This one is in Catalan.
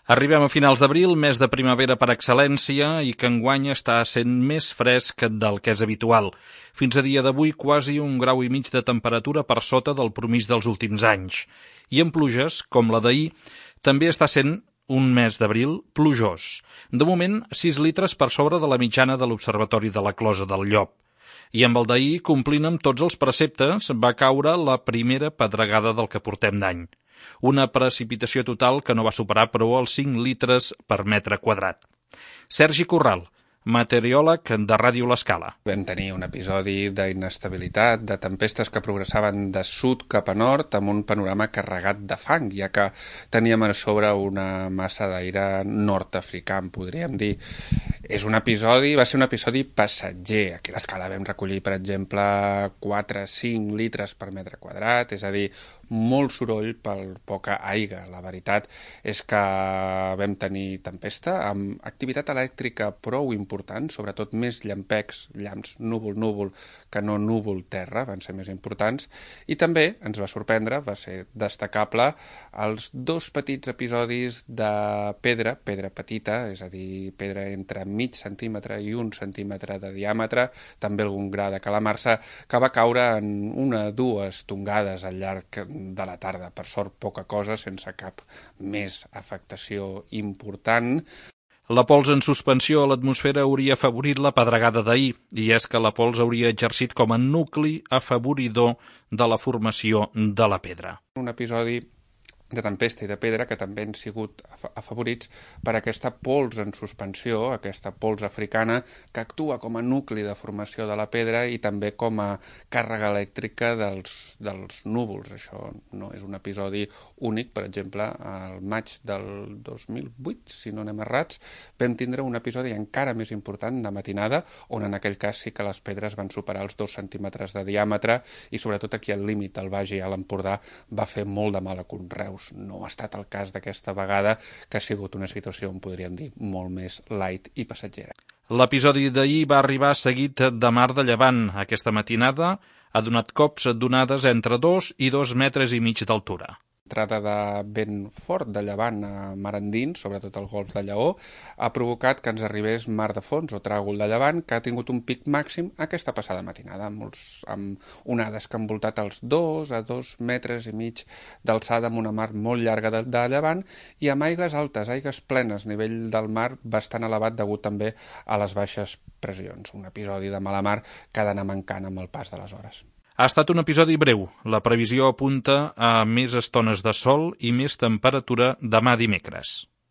Arribem a finals d'abril, mes de primavera per excel·lència, i que enguany està sent més fresc del que és habitual. Fins a dia d'avui, quasi 1,5 graus de temperatura per sota del promís dels últims anys. I en pluges, com la d'ahir, també està sent un mes d'abril plujós. De moment, 6 litres per sobre de la mitjana de l'Observatori de la Closa del Llop. I amb el d'ahir, complint amb tots els preceptes, va caure la primera pedregada del que portem d'any. Una precipitació total que no va superar, però, els 5 litres per metre quadrat. Sergi Corral, meteoròleg de Ràdio L'Escala. Vam tenir un episodi d'inestabilitat, de tempestes que progressaven de sud cap a nord amb un panorama carregat de fang, ja que teníem a sobre una massa d'aire nord-africà, podríem dir. Va ser un episodi passatger. Aquí a l'Escala vam recollir, per exemple, 4-5 litres per metre quadrat, és a dir, molt soroll per poca aigua. La veritat és que vam tenir tempesta amb activitat elèctrica prou important, sobretot més llampecs, llamps núvol-núvol que no núvol-terra, van ser més importants, i també ens va sorprendre, va ser destacable, els 2 petits episodis de pedra petita, és a dir, pedra entre mig centímetre i 1 centímetre de diàmetre, també algun gra de calamarsa, que va caure en 1-2 tongades al llarg de la tarda. Per sort, poca cosa, sense cap més afectació important. La pols en suspensió a l'atmosfera hauria afavorit la pedregada d'ahir, i és que la pols hauria exercit com a nucli afavoridor de la formació de la pedra. Un episodi de tempesta i de pedra que també han sigut afavorits per aquesta pols en suspensió, aquesta pols africana que actua com a nucli de formació de la pedra i també com a càrrega elèctrica dels núvols. Això no és un episodi únic. Per exemple, al maig del 2008, si no anem errats, vam tindre un episodi encara més important de matinada, on en aquell cas sí que les pedres van superar els 2 centímetres de diàmetre i sobretot aquí al límit del Baix i a l'Empordà va fer molt de mal a conreus. No ha estat el cas d'aquesta vegada, que ha sigut una situació, podríem dir, molt més light i passatgera. L'episodi d'ahir va arribar seguit de mar de llevant. Aquesta matinada ha donat cops donades entre 2 i 2,5 metres d'altura. L'entrada de vent fort de llevant a mar endins, sobretot al golf de Lleó, ha provocat que ens arribés mar de fons o tràgol de llevant, que ha tingut un pic màxim aquesta passada matinada, amb onades que han voltat els 2 a 2,5 metres d'alçada amb una mar molt llarga de llevant i amb aigues altes, aigues plenes, nivell del mar bastant elevat degut també a les baixes pressions. Un episodi de mala mar que ha d'anar mancant amb el pas de les hores. Ha estat un episodi breu. La previsió apunta a més estones de sol i més temperatura demà dimecres.